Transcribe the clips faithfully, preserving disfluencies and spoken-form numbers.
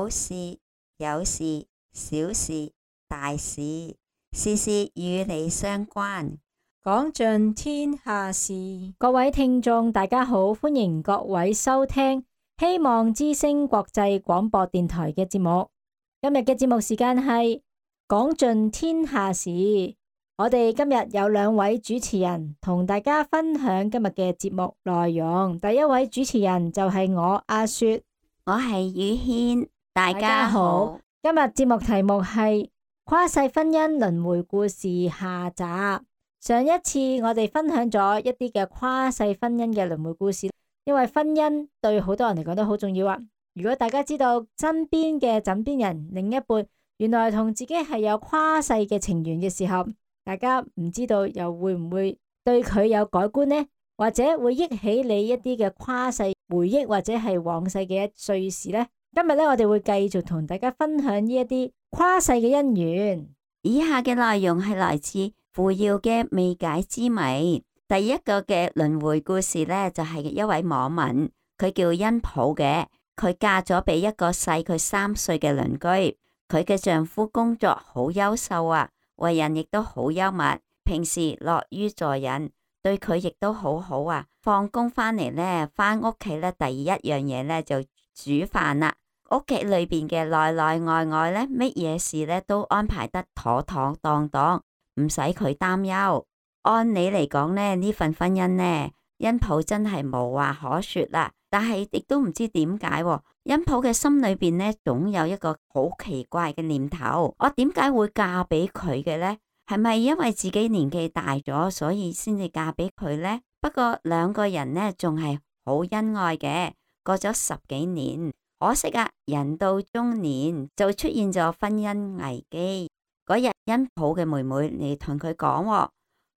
有事有事，小事大事，事事與你相關，講盡天下事。各位聽眾大家好，歡迎各位收聽希望之聲國際廣播電台嘅節目。今日嘅節目時間係講盡天下事。我哋今日有兩位主持人同大家分享今日嘅節目內容。第一位主持人就係我阿雪，我係宇軒，大家好。今日節目題目係跨世婚姻輪迴故事下集。上一次我哋分享咗一啲嘅跨世婚姻嘅輪迴故事，因為婚姻對好多人嚟講都好重要啊。如果大家知道身邊嘅枕邊人另一半原來同自己係有跨世嘅情緣嘅時候，大家唔知道又會唔會對佢有改觀呢？或者會憶起你一啲嘅跨世回憶，或者係往世嘅一歲事呢？今日咧，我哋會繼續同大家分享呢一啲跨世嘅姻緣。以下嘅內容係來自扶搖嘅未解之謎。第一個嘅輪迴故事呢，就係一位網民，佢叫恩普嘅，佢嫁咗俾一個細佢三歲嘅鄰居。佢嘅丈夫工作好優秀啊，為人亦都好幽默，平時樂於助人，對佢亦都好好啊。放工翻嚟呢，翻屋企呢，第一樣嘢呢就煮飯啦。屋企裏邊嘅內內外外呢，乜嘢事呢都安排得妥妥當當，唔使佢擔憂。按理嚟講呢，呢份婚姻呢，恩普真係無話可說啦。但係亦都唔知點解，恩普嘅心裏邊呢，總有一個好奇怪嘅念頭：我點解會嫁俾佢嘅呢？係咪因為自己年紀大咗，所以先至嫁俾佢呢？不過兩個人呢，仲係好恩愛嘅。過咗十幾年，可惜啊，人到中年就出現咗婚姻危機。嗰日恩普嘅妹妹嚟同佢講，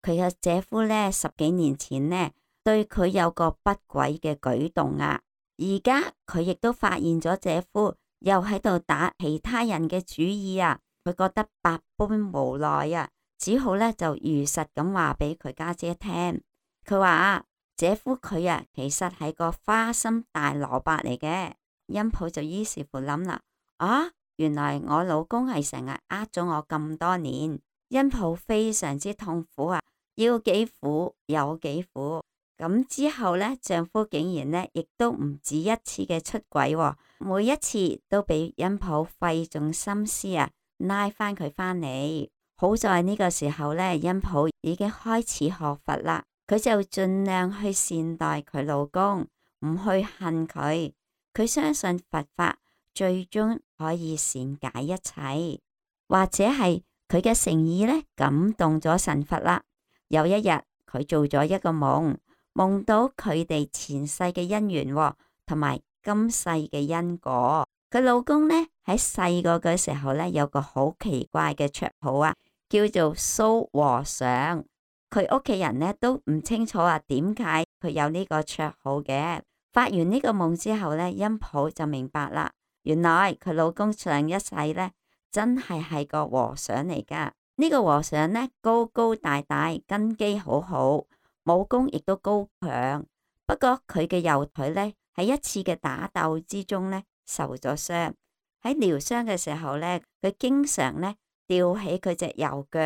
佢嘅姐夫呢，十幾年前呢，對佢有個不軌嘅舉動啊。而家佢亦都發現咗姐夫又喺度打其他人嘅主意啊。佢覺得百般無奈啊，只好呢就如實咁話俾佢家姐聽。佢話啊，姐夫佢啊，其實係個花心大蘿蔔嚟嘅。恩普就於是乎諗啦，啊，原來我老公係成日呃咗我咁多年。恩普非常之痛苦啊，要幾苦有幾苦。咁之後呢，丈夫竟然呢亦都唔止一次嘅出軌，哦，每一次都俾恩普費盡心思啊，拉翻佢翻嚟。好在呢個時候呢，恩普已經開始學佛啦，佢就盡量去善待佢老公，唔去恨佢。佢相信佛法最終可以善解一切，或者係佢嘅誠意呢感動咗神佛啦。有一日佢做咗一個夢，夢到佢哋前世嘅姻緣同埋今世嘅因果。佢老公呢喺細個嘅時候呢，有個好奇怪嘅綽號啊，叫做蘇和尚。佢屋企人呢都唔清楚啊，點解佢有呢個綽號嘅。發完呢個夢之後呢，恩普就明白啦，原來佢老公上一世呢真係係個和尚嚟噶。呢個和尚呢高高大大，根基好好，武功亦都高強。不過佢嘅右腿呢喺一次嘅打鬥之中呢受咗傷。喺療傷嘅時候呢，佢經常呢吊起佢隻右腳，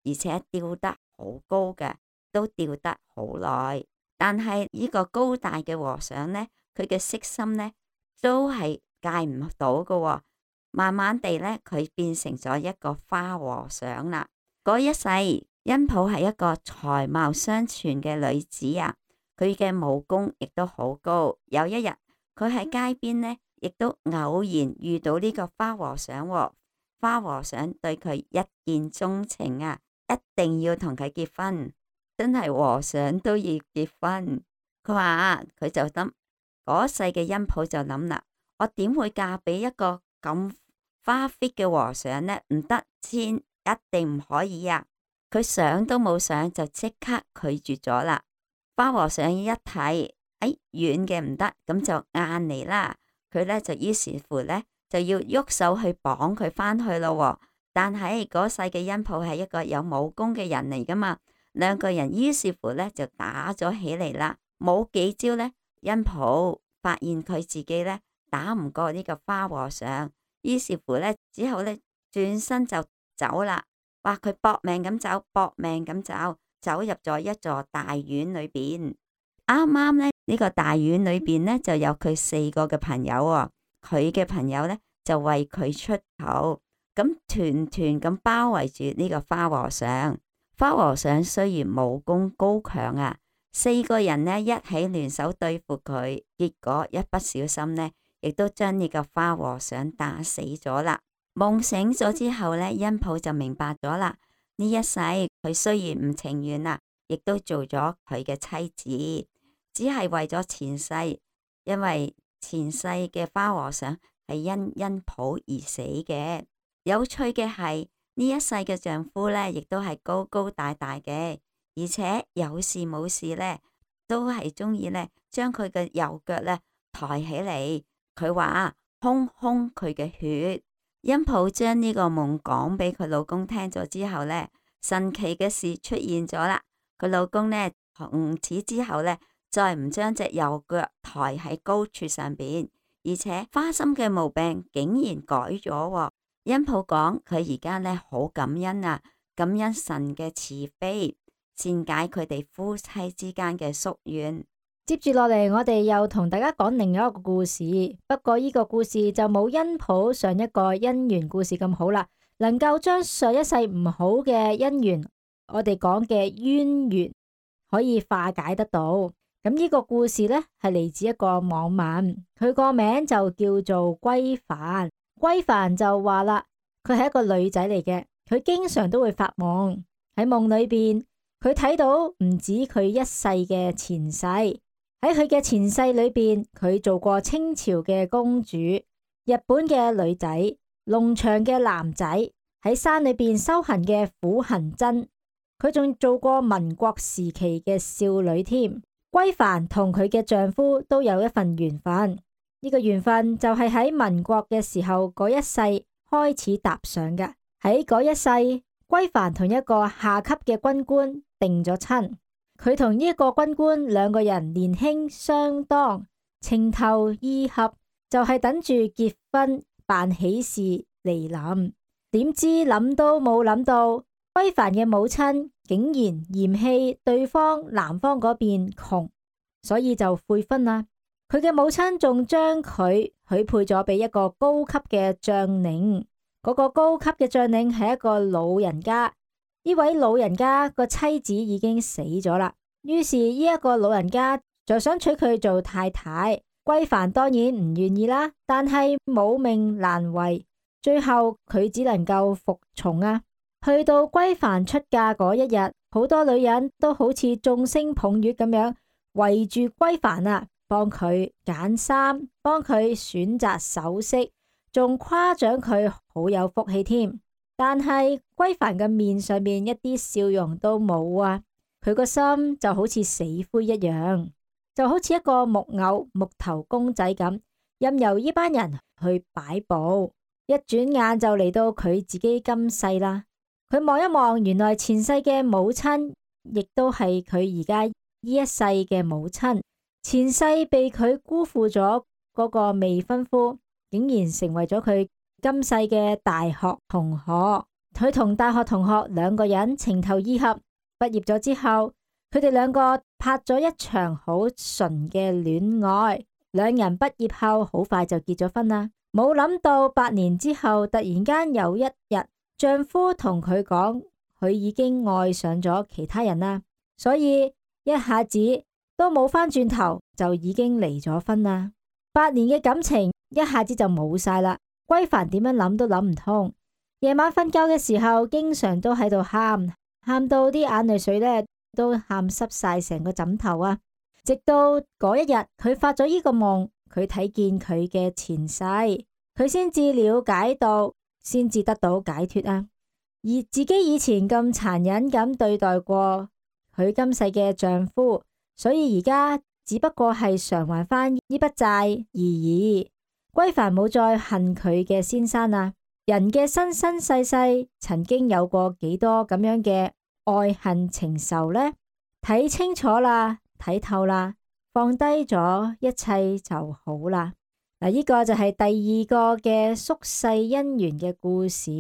而且吊得好高嘅，都吊得好耐。但係呢個高大嘅和尚呢，佢嘅色心呢都係戒唔到嘅。慢慢地呢，佢變成咗一個花和尚啦。嗰一世，恩普係一個才貌雙全嘅女子啊，佢嘅武功亦都好高。有一日，佢喺街邊呢，亦都偶然遇到呢個花和尚。花和尚對佢一見鍾情啊，一定要同佢結婚。真係和尚都要結婚。佢話佢就諗嗰世嘅恩普就諗啦，我點會嫁俾一個咁花 fit 嘅和尚呢？唔得，千一定唔可以啊！佢想都冇想就即刻拒絕咗啦。花和尚一睇，哎，軟嘅唔得，咁就硬嚟啦。佢呢就於是乎呢就要喐手去綁佢翻去咯。但係嗰世嘅恩普係一個有武功嘅人嚟噶嘛。兩個人於是乎呢就打咗起嚟啦，冇幾招呢，恩普發現佢自己呢打唔過呢個花和尚，於是乎咧，之後咧轉身就走啦。哇！佢搏命咁走，搏命咁走，走入咗一座大院裏邊。啱啱咧呢個大院裏邊咧就有佢四個嘅朋友喎。佢嘅朋友咧就為佢出頭，咁團團咁包圍住呢個花和尚。花和尚雖然武功高強啊，四個人呢一起聯手對付佢，結果一不小心呢，亦都將呢個花和尚打死咗啦。夢醒咗之後呢，恩普就明白咗啦。呢一世佢雖然唔情願啦，亦都做咗佢嘅妻子，只係為咗前世，因為前世嘅花和尚係因恩普而死嘅。有趣嘅係呢一世嘅丈夫呢，亦都係高高大大嘅，而且有事冇事呢，都係中意呢將佢嘅右腳呢抬起嚟。佢話空空佢嘅血。恩普將呢個夢講俾佢老公聽咗之後呢，神奇嘅事出現咗啦。佢老公呢，從此之後呢，再唔將隻右腳抬喺高處上邊，而且花心嘅毛病竟然改咗。恩普講佢而家呢好感恩啊，感恩神嘅慈悲，善解佢哋夫妻之間嘅宿怨。接住落嚟，我哋又同大家講另一個故事，不過呢個故事就冇恩普上一個姻緣故事咁好啦，能夠將上一世唔好嘅姻緣，我哋講嘅淵源可以化解得到。咁呢個故事呢，係嚟自一個網民，佢個名就叫做歸凡。歸凡就話啦，佢係一個女仔嚟嘅，佢經常都會發夢，喺夢裏邊佢睇到唔止佢一世嘅前世。喺佢嘅前世裏邊，佢做過清朝嘅公主、日本嘅女仔、農場嘅男仔，喺山裏邊修行嘅苦行僧，佢仲做過民國時期嘅少女添。歸凡同佢嘅丈夫都有一份緣分，呢個緣分就係喺民國嘅時候嗰一世開始搭上嘅。喺嗰一世，歸凡同一個下級嘅軍官定咗親。佢同呢一個軍官兩個人年輕相當，情投意合，就係等住結婚辦喜事嚟臨。點知諗都冇諗到，歸凡嘅母親竟然嫌棄對方男方嗰邊窮，所以就悔婚啦。佢嘅母親仲將佢許配咗俾一個高級嘅將領，嗰個高級嘅將領係一個老人家。呢位老人家個妻子已經死咗啦，於是呢一個老人家就想娶佢做太太。歸凡當然唔願意啦，但係母命難違，最後佢只能夠服從啊。去到歸凡出嫁嗰一日，好多女人都好似眾星捧月咁樣圍住歸凡啊，幫佢揀衫，幫佢選擇首飾，仲誇獎佢好有福氣添。但係歸凡嘅面上面一啲笑容都冇啊，佢個心就好似死灰一樣，就好似一個木偶木頭公仔咁，任由呢班人去擺布。一轉眼就嚟到佢自己今世啦。佢望一望，原來前世嘅母親亦都係佢而家呢一世嘅母親。前世被佢辜負咗嗰個未婚夫，竟然成為咗佢今世嘅大學同學。佢同大學同學兩個人情投意合，畢業咗之後，佢哋兩個拍咗一場好純嘅戀愛。兩人畢業後好快就結咗婚啦。冇諗到八年之後，突然間有一日，丈夫同佢講，佢已經愛上咗其他人啦，所以一下子都冇返轉頭，就已經離咗婚啦。八年嘅感情一下子就冇晒啦。歸凡點樣諗都諗唔通，夜晚瞓覺嘅時候，經常都喺度喊，喊到啲眼淚水呢都喊濕晒成個枕頭啊！直到嗰一日，佢發咗呢個夢，佢睇見佢嘅前世，佢先至了解到，先至得到解脫啊！而自己以前咁殘忍咁對待過佢今世嘅丈夫，所以而家只不過係償還翻呢筆債而已。歸凡冇再恨佢嘅先生啊！人嘅生生世世曾經有過幾多咁樣嘅愛恨情仇呢？睇清楚啦，睇透啦，放低咗一切就好啦。嗱，呢個就係第二個嘅宿世姻緣嘅故事。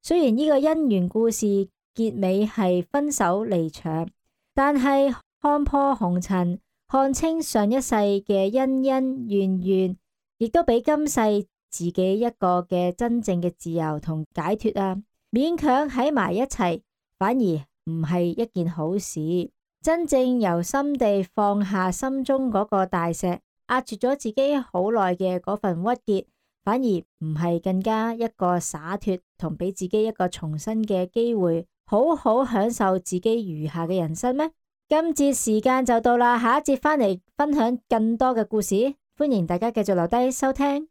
雖然呢個姻緣故事結尾係分手離場，但係看破紅塵，看清上一世嘅恩恩怨怨，亦都俾今世自己一個嘅真正嘅自由同解脫啊！勉強喺埋一齊，反而唔係一件好事。真正由心地放下心中嗰個大石，壓住咗自己好耐嘅嗰份鬱結，反而唔係更加一個灑脫，同俾自己一個重新嘅機會，好好享受自己餘下嘅人生咩？今節時間就到啦，下一節返嚟分享更多嘅故事，歡迎大家繼續留低收聽。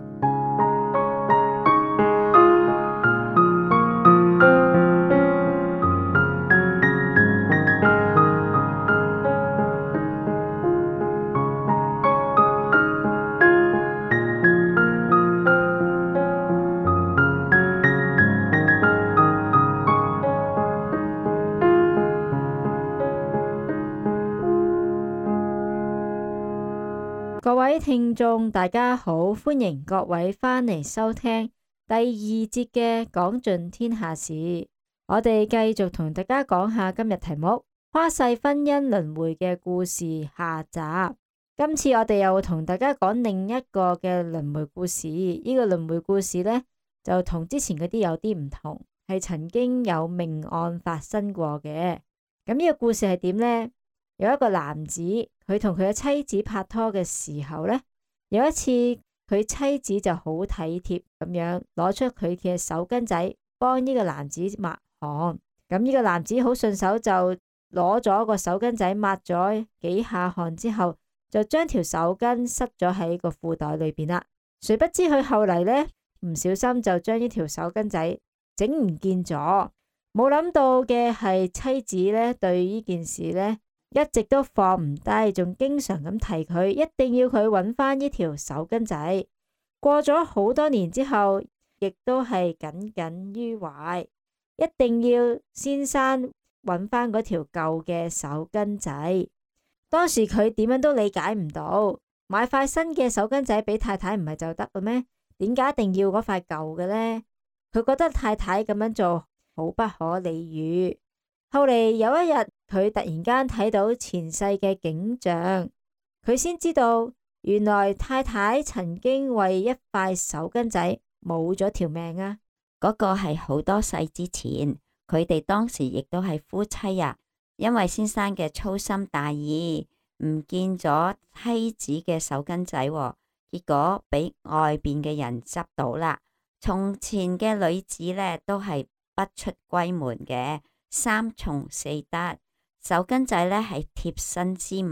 各位聽眾大家好，歡迎各位返嚟收聽第二節嘅講盡天下事。我哋繼續同大家講下今日題目跨世婚姻輪迴嘅故事下集。今次我哋又同大家講另一個嘅輪迴故事。呢個輪迴故事呢，就同之前嗰啲有啲唔同，係曾經有命案發生過嘅。咁呢個故事係點呢？有一個男子，佢同佢嘅妻子拍拖嘅時候呢，有一次佢妻子就好體貼咁樣攞出佢嘅手巾仔幫呢個男子抹汗。咁呢個男子好順手就攞咗個手巾仔抹咗幾下汗之後，就將條手巾塞咗喺個褲袋裏邊啦。誰不知佢後嚟呢，唔小心就將呢條手巾仔整唔見咗。冇諗到嘅係妻子呢，對呢件事呢，一直都放唔低，仲經常咁提佢，一定要佢揾翻呢條手巾仔。過咗好多年之後，亦都係耿耿於懷，一定要先生揾翻嗰條舊嘅手巾仔。當時佢點樣都理解唔到，買塊新嘅手巾仔俾太太唔係就得嘅咩？點解一定要嗰塊舊嘅呢？佢覺得太太咁樣做好不可理喻。後嚟有一日，佢突然間睇到前世嘅景象，佢先知道原來太太曾經為一塊手巾仔冇咗條命啊！嗰個係好多世之前，佢哋當時亦都係夫妻啊。因為先生嘅粗心大意，唔見咗妻子嘅手巾仔，結果俾外邊嘅人執到啦。從前嘅女子呢，都係不出閨門嘅。三從四德，手巾仔呢係貼身之物，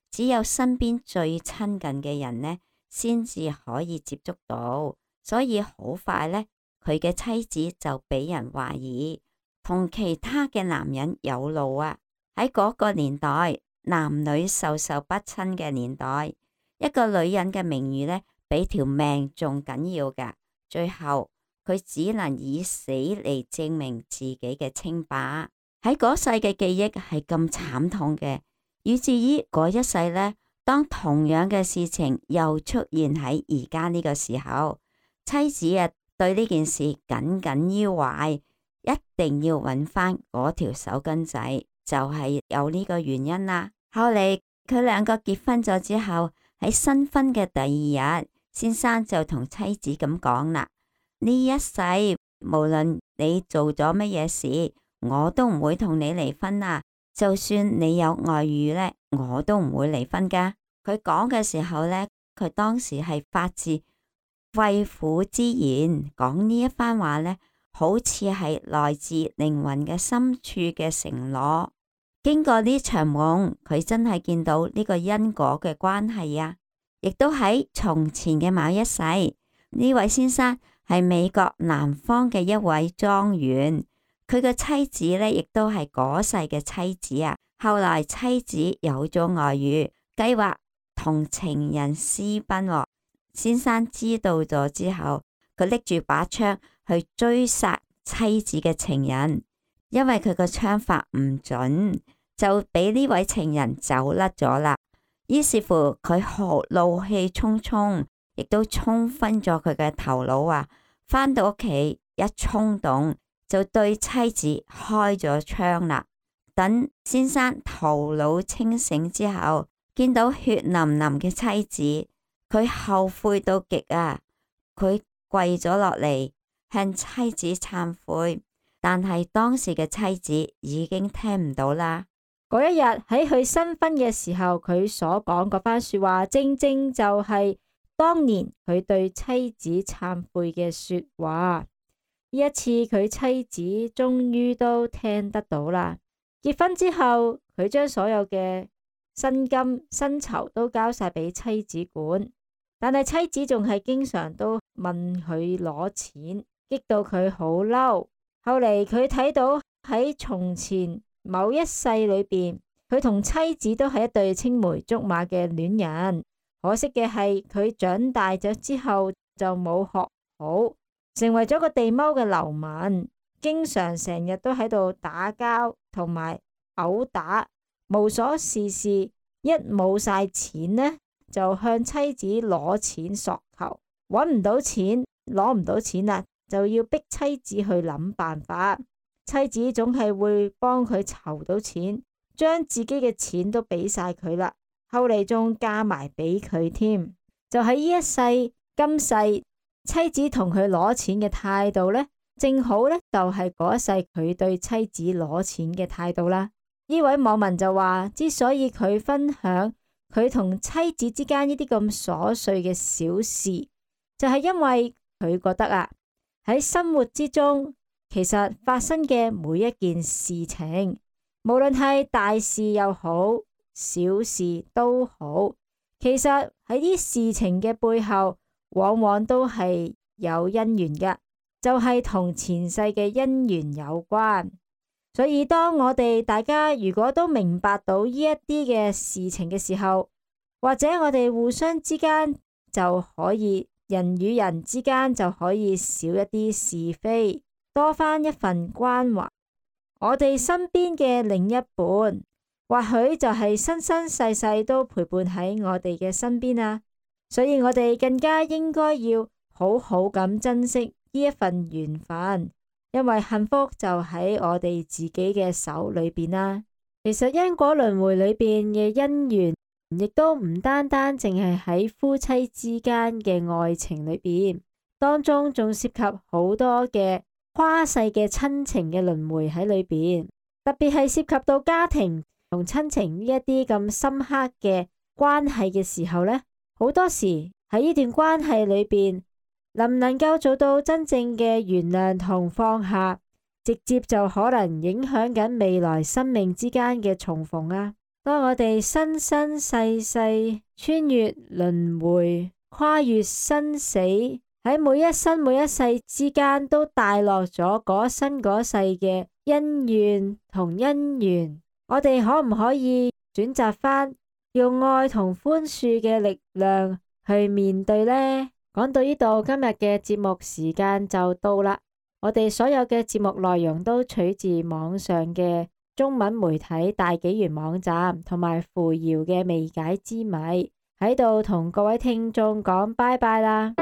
只有身邊最親近嘅人呢先至可以接觸到，所以好快呢，佢嘅妻子就俾人懷疑同其他嘅男人有路啊！喺嗰個年代，男女授受不親嘅年代，一個女人嘅名譽呢比條命仲緊要㗎。最後佢只能以死嚟證明自己嘅清白。喺嗰世嘅記憶係咁慘痛嘅，以至於嗰一世呢，當同樣嘅事情又出現喺而家呢個時候，妻子啊對呢件事耿耿於懷，一定要揾翻嗰條手巾仔，就係有呢個原因啦。後嚟佢兩個結婚咗之後，喺新婚嘅第二日，先生就同妻子咁講啦。呢一世無論你做咗乜嘢事，我都唔會同你離婚啊！就算你有外遇呢，我都唔會離婚噶。佢講嘅時候呢，佢當時係發自肺腑之言，講呢一番話呢，好似係來自靈魂嘅深處嘅承諾。經過呢場夢，佢真係見到呢個因果嘅關係啊！亦都喺從前嘅某一世，呢位先生係美國南方嘅一位莊園，佢嘅妻子呢亦都係嗰世嘅妻子啊。後來妻子有咗外遇，計劃同情人私奔喎。先生知道咗之後，佢拎住把槍去追殺妻子嘅情人，因為佢個槍法唔準，就俾呢位情人走甩咗啦。於是乎，佢好怒氣沖沖，亦都沖昏咗佢嘅頭腦啊！返到屋企一衝動就對妻子開咗槍啦。等先生頭腦清醒之後，見到血淋淋嘅妻子，佢後悔到極啊！佢跪咗落嚟向妻子懺悔，但係當時嘅妻子已經聽唔到啦。嗰一日喺佢新婚嘅時候，佢所講嗰番說話，正正就係當年佢對妻子懺悔嘅說話。呢一次佢妻子終於都聽得到啦。結婚之後，佢將所有嘅薪金、薪酬都交晒俾妻子管，但係妻子仲係經常都問佢攞錢，激到佢好嬲。後嚟佢睇到喺從前某一世裏邊，佢同妻子都係一對青梅竹馬嘅戀人。可惜嘅係佢長大咗之後就冇學好，成為咗個地踎嘅流民，經常成日都喺度打交同埋毆打，無所事事。一冇晒錢呢，就向妻子攞錢索求，搵唔到錢，攞唔到錢啦，就要逼妻子去諗辦法。妻子總係會幫佢籌到錢，將自己嘅錢都俾晒佢啦。後嚟仲嫁埋俾佢添。就喺呢一世今世，妻子同佢攞錢嘅態度呢，正好呢就係嗰一世佢對妻子攞錢嘅態度啦。呢位網民就話，之所以佢分享佢同妻子之間呢啲咁瑣碎嘅小事，就係因為佢覺得啊，喺生活之中，其實發生嘅每一件事情，無論係大事又好，小事都好，其實喺啲事情嘅背後，往往都係有因緣嘅，就係同前世嘅因緣有關。所以當我哋大家如果都明白到呢一啲嘅事情嘅時候，或者我哋互相之間就可以，人與人之間就可以少一啲是非，多翻一份關懷。我哋身邊嘅另一半，或許就係生生世世都陪伴喺我哋嘅身邊啊。所以我哋更加應該要好好咁珍惜呢一份緣分。因為幸福就喺我哋自己嘅手裏邊啦。其實因果輪迴裏邊嘅因緣，亦都唔單單淨係喺夫妻之間嘅愛情裏邊，當中仲涉及好多嘅跨世嘅親情嘅輪迴喺裏邊。特別係涉及到家庭同親情呢一啲咁深刻嘅關係嘅時候呢，好多時喺呢段關係裏邊，能唔能夠做到真正嘅原諒同放下，直接就可能影響緊未來生命之間嘅重逢啊！當我哋生生世世穿越輪迴，跨越生死，喺每一生每一世之間都帶落咗嗰生嗰世嘅恩怨同因緣，我哋可唔可以選擇翻用愛同寬恕嘅力量去面對呢？講到呢度，今日嘅節目時間就到啦。我哋所有嘅節目內容都取自網上嘅中文媒體大紀元網站同埋扶搖嘅未解之謎，喺度同各位聽眾講拜拜啦。